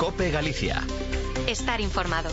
COPE Galicia. Estar informado.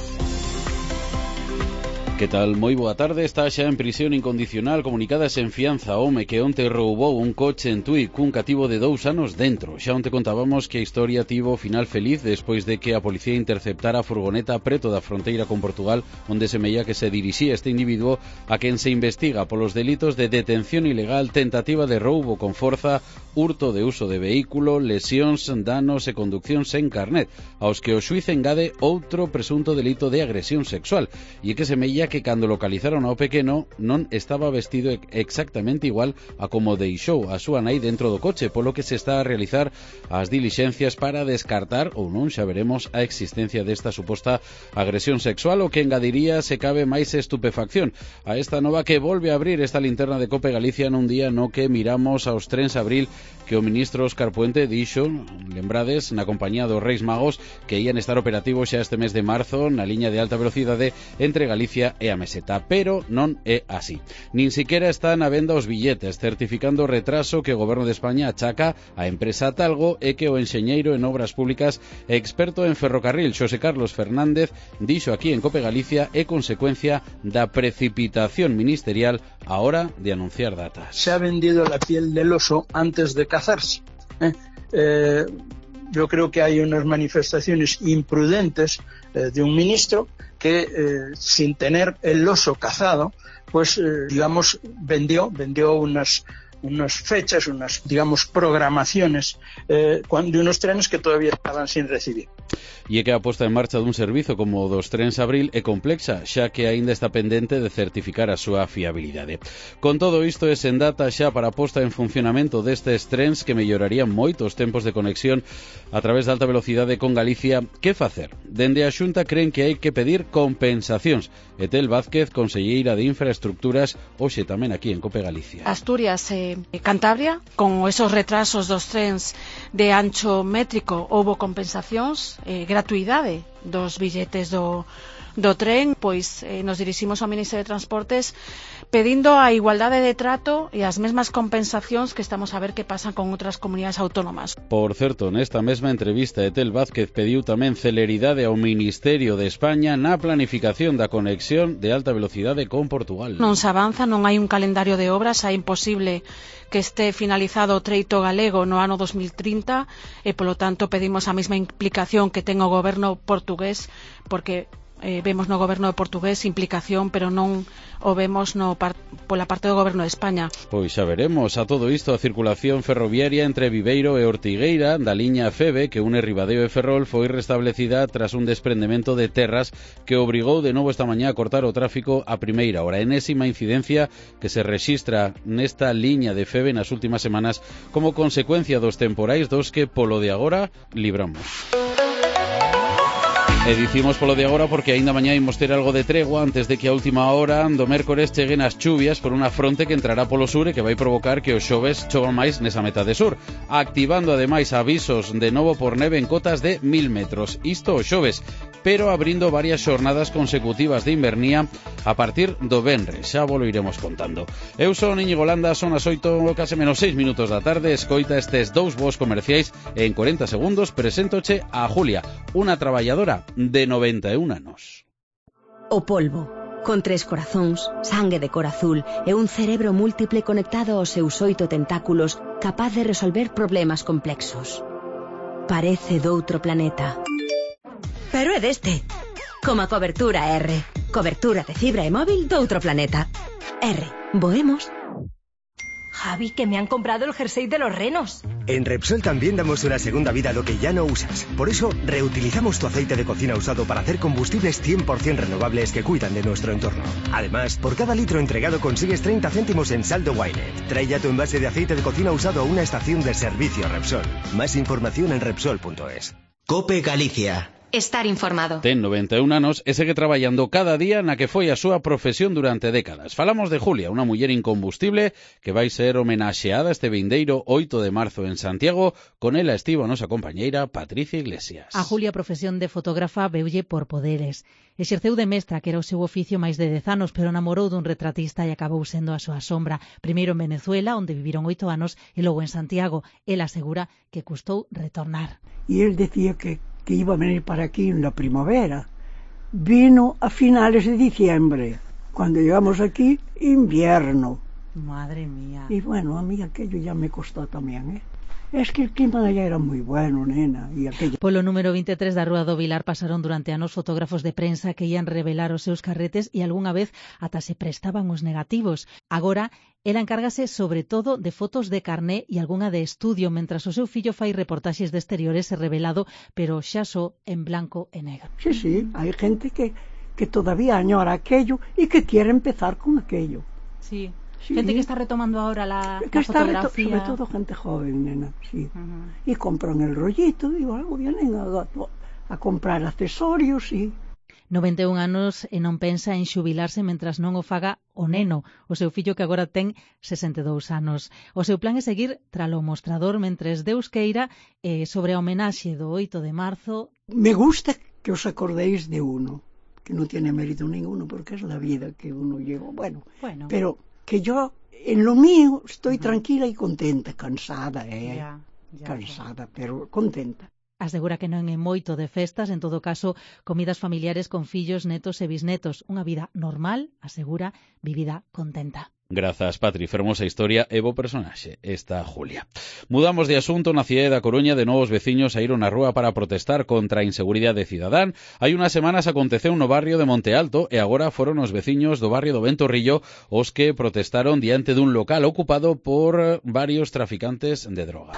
Que tal? Moi boa tarde. Está xa en prisión incondicional comunicada sen fianza home que onte roubou un coche en Tui cun cativo de 2 anos dentro. Xa onte contábamos que a historia tivo final feliz despois de que a policía interceptara a furgoneta preto da fronteira con Portugal, onde semella que se dirixía este individuo a quen se investiga polos delitos de detención ilegal, tentativa de roubo con forza, hurto de uso de vehículo, lesións, danos e conducción sen carnet, aos que o xuiz engade outro presunto delito de agresión sexual. E que semella que cando localizaron ao pequeno non estaba vestido exactamente igual a como deixou a súa nai dentro do coche, polo que se está a realizar as dilixencias para descartar ou non, xa veremos, a existencia desta suposta agresión sexual, o que engadiría, se cabe, máis estupefacción a esta nova que volve a abrir esta linterna de COPE Galicia nun día no que miramos aos trens abril que o ministro Óscar Puente dixo, lembrades, na compañía dos Reis Magos, que ían estar operativos xa este mes de marzo na liña de alta velocidade entre Galicia e a Meseta, pero non é así. Nin siquiera están á venda os billetes, certificando o retraso que o Goberno de España achaca á empresa Talgo e que o enxeñeiro en obras públicas e experto en ferrocarril Xosé Carlos Fernández dixo aquí en COPE Galicia é consecuencia da precipitación ministerial a hora de anunciar datas. Se ha vendido la piel del oso antes de cazarse. Yo creo que hay unas manifestaciones imprudentes de un ministro que sin tener el oso cazado, pues digamos vendió unas fechas, unas digamos programaciones de unos trenes que todavía estaban sin recibir. E é que a posta en marcha dun servizo como o dos trens abril é complexa, xa que aínda está pendente de certificar a súa fiabilidade. Con todo isto, é sen data xa para a posta en funcionamento destes trens que mellorarían moito os tempos de conexión a través da alta velocidade con Galicia. Que facer? Dende a Xunta creen que hai que pedir compensacións. Etel Vázquez, conselleira de Infraestructuras, hoxe tamén aquí en COPE Galicia. Asturias e Cantabria, con esos retrasos dos trens de ancho métrico, houbo compensacións, gratuidade dos billetes do tren, pois nos diriximos ao Ministerio de Transportes pedindo a igualdade de trato e as mesmas compensacións que estamos a ver que pasan con outras comunidades autónomas. Por certo, nesta mesma entrevista, Etel Vázquez pediu tamén celeridade ao Ministerio de España na planificación da conexión de alta velocidade con Portugal. Non se avanza, non hai un calendario de obras, é imposible que este finalizado o treito galego no ano 2030 e, polo tanto, pedimos a mesma implicación que ten o goberno portugués, porque vemos no goberno portugués implicación, pero non o vemos pola parte do goberno de España. Pois xa veremos. A todo isto, a circulación ferroviaria entre Viveiro e Ortigueira da liña FEBE que une Ribadeo e Ferrol foi restablecida tras un desprendemento de terras que obrigou de novo esta mañá a cortar o tráfico a primeira hora. Enésima incidencia que se rexistra nesta liña de FEBE nas últimas semanas como consecuencia dos temporais dos que polo de agora libramos. E dicimos polo de agora porque aínda mañá imos ter algo de tregua antes de que a última hora do mércores cheguen as chuvias por unha fronte que entrará polo sur e que vai provocar que os xoves chovan máis nesa metade sur, activando ademais avisos de novo por neve en cotas de 1000 metros. Isto os xoves, pero abrindo varias xornadas consecutivas de invernía a partir do venres. Xa volo iremos contando. Eu son Íñigo Landa, son as 8, case menos 6 minutos da tarde. Escoita estes dous voos comerciais e en 40 segundos preséntoche a Julia, unha traballadora de 91 anos. O polvo, con 3 corazóns, sangue de cor azul e un cerebro múltiple conectado aos seus 8 tentáculos, capaz de resolver problemas complexos. Parece doutro planeta. Pero é deste. Como a cobertura R. Cobertura de fibra e móvil doutro planeta. R. Voemos. Javi, que me han comprado el jersey de los renos. En Repsol también damos una segunda vida a lo que ya no usas. Por eso, reutilizamos tu aceite de cocina usado para hacer combustibles 100% renovables que cuidan de nuestro entorno. Además, por cada litro entregado consigues 30 céntimos en saldo Wynet. Trae ya tu envase de aceite de cocina usado a una estación de servicio Repsol. Más información en Repsol.es. COPE Galicia. Estar informado. Ten 91 anos e segue traballando cada día na que foi a súa profesión durante décadas. Falamos de Julia, unha muller incombustible que vai ser homenaxeada este vindeiro 8 de marzo en Santiago. Con ela estivo a nosa compañeira Patricia Iglesias. A Julia, profesión de fotógrafa, veulle por poderes. Exerceu de mestra, que era o seu oficio máis de 10 anos, pero namorou dun retratista e acabou sendo a súa sombra. Primeiro en Venezuela, onde viviron 8 anos, e logo en Santiago. Ela asegura que custou retornar. E el decía que que iba a venir para aquí en la primavera. Vino a finales de diciembre. Cuando llegamos aquí, invierno. Madre mía. Y bueno, a mí aquello ya me costó también, Es que el clima de allá era moi bueno, nena. E aquello... Polo número 23 da Rúa do Vilar pasaron durante anos fotógrafos de prensa que ian revelar os seus carretes e algunha vez ata se prestaban os negativos. Agora, ela encárgase sobre todo de fotos de carné e algunha de estudio, mentras o seu fillo fai reportaxes de exteriores e revelado, pero xa só en blanco e negro. Sí, hai gente que todavía añora aquello e que quiere empezar con aquello. Sí. Gente que está retomando ahora la fotografía. Sobre todo gente joven, nena, sí. Y compran el rollito y luego vienen a comprar accesorios y... 91 anos e non pensa en xubilarse mentras non o faga o neno, o seu fillo que agora ten 62 anos. O seu plan é seguir tralo mostrador mentres Deus queira sobre a homenaxe do 8 de marzo. Me gusta que os acordéis de uno, que non tiene mérito ninguno porque es la vida que uno lleva. Bueno. Pero... que yo, en lo mío, estoy tranquila y contenta, cansada, cansada, pero contenta. Asegura que non é moito de festas, en todo caso, comidas familiares con fillos, netos e bisnetos. Unha vida normal, asegura, vivida contenta. Grazas, Patri, fermosa historia e bo personaxe, esta Julia. Mudamos de asunto. Na cidade da Coruña, de novos veciños saíron á rúa para protestar contra a inseguridade cidadán. Hai unhas semanas aconteceu no barrio de Monte Alto e agora foron os veciños do barrio do Ventorrillo os que protestaron diante dun local ocupado por varios traficantes de droga.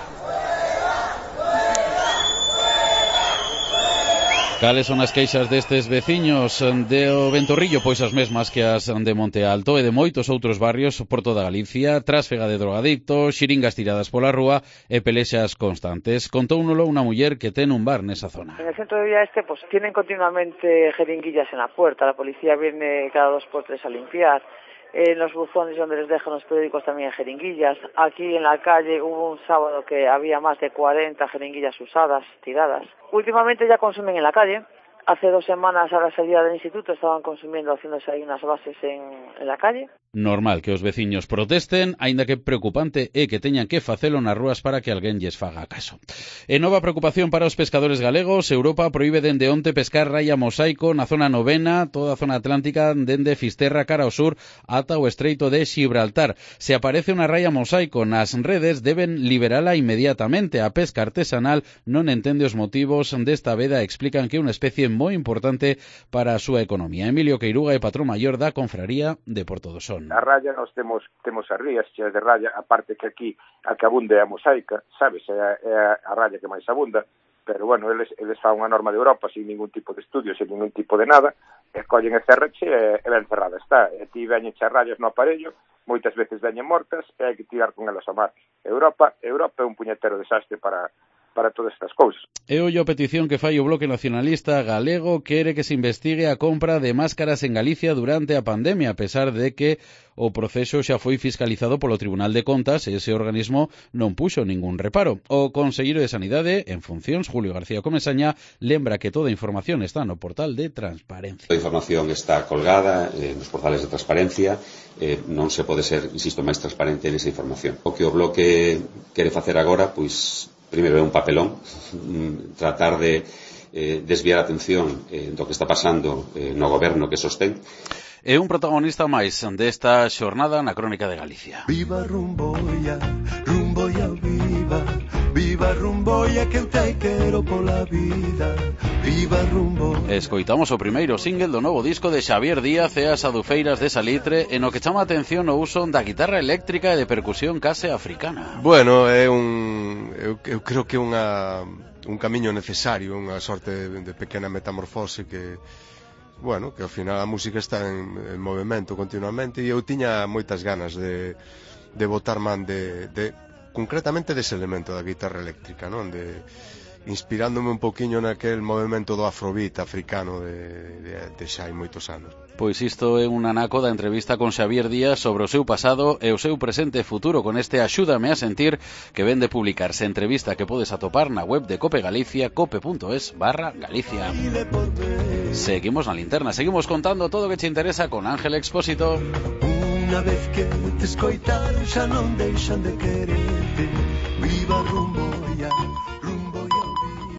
Cales son as queixas destes veciños do Ventorrillo? Pois as mesmas que as de Monte Alto e de moitos outros barrios por toda Galicia: trásfega de drogadictos, xiringas tiradas pola rúa e pelexas constantes. Contóunolo unha muller que ten un bar nesa zona. En el centro de Villa Este pues tienen continuamente jeringuillas en la puerta, la policía viene cada 2 por 3 a limpiar. En los buzones donde les dejan los periódicos también hay jeringuillas. Aquí en la calle hubo un sábado que había más de 40 jeringuillas usadas, tiradas. Últimamente ya consumen en la calle. Hace 2 semanas a la salida del instituto estaban consumiendo, haciéndose ahí unas bases en la calle. Normal que os veciños protesten, aínda que preocupante é que teñan que facelo nas rúas para que alguén lles faga caso. E nova preocupación para os pescadores galegos. Europa proíbe dende onte pescar raia mosaico na zona novena, toda a zona atlántica, dende Fisterra cara ao sur ata o estreito de Xibraltar. Se aparece unha raia mosaico nas redes, deben liberala inmediatamente. A pesca artesanal non entende os motivos desta veda e explican que é unha especie moi importante para a súa economía. Emilio Queiruga é patrón maior da confraría de Porto do Sol. A raya, nós temos as rías cheas de raya, aparte que aquí a que abunde é a mosaica, sabes, é a raya que máis abunda, pero bueno, eles fan unha norma de Europa sin ningún tipo de estudio, sin ningún tipo de nada, e collen e cerrache e ben cerrada está. E ti veñen che rayas no aparello, moitas veces veñen mortas e hai que tirar con elas ao mar. Europa é un puñetero desastre para todas estas cousas. E ollo a petición que fai o Bloque Nacionalista Galego, quere que se investigue a compra de máscaras en Galicia durante a pandemia, a pesar de que o proceso xa foi fiscalizado polo Tribunal de Contas e ese organismo non puxo ningún reparo. O conselleiro de Sanidade, en funcións, Julio García Comesaña, lembra que toda a información está no portal de transparencia. A información está colgada nos portales de transparencia, non se pode ser, insisto, máis transparente nesa información. O que o Bloque quere facer agora, pois, primeiro é un papelón, tratar de desviar a atención do que está pasando no goberno que sostén. É un protagonista máis desta xornada na Crónica de Galicia. Viva Rumboia, Rumboia viva, viva Rumboia que eu te quero pola vida, viva Rumboia. Escoitamos o primeiro single do novo disco de Xavier Díaz e as Adufeiras de Salitre, en o que chama a atención o uso da guitarra eléctrica e de percusión case africana. Bueno, eu creo que é un camiño necesario, unha sorte de pequena metamorfose que ao final a música está en movimento continuamente e eu tiña moitas ganas de botar man concretamente dese elemento da guitarra eléctrica, non? Inspirándome un poquinho naquel movimento do afrobeat africano de xa hai moitos anos. Pois isto é un anaco da entrevista con Xavier Díaz sobre o seu pasado e o seu presente e futuro con este Axúdame a sentir que ven de publicarse, entrevista que podes atopar na web de Cope Galicia, cope.es/Galicia. Seguimos na linterna, seguimos contando todo o que te interesa con Ángel Expósito. Unha vez que te escoitaron xa non deixan de quererte, viva Rumbo.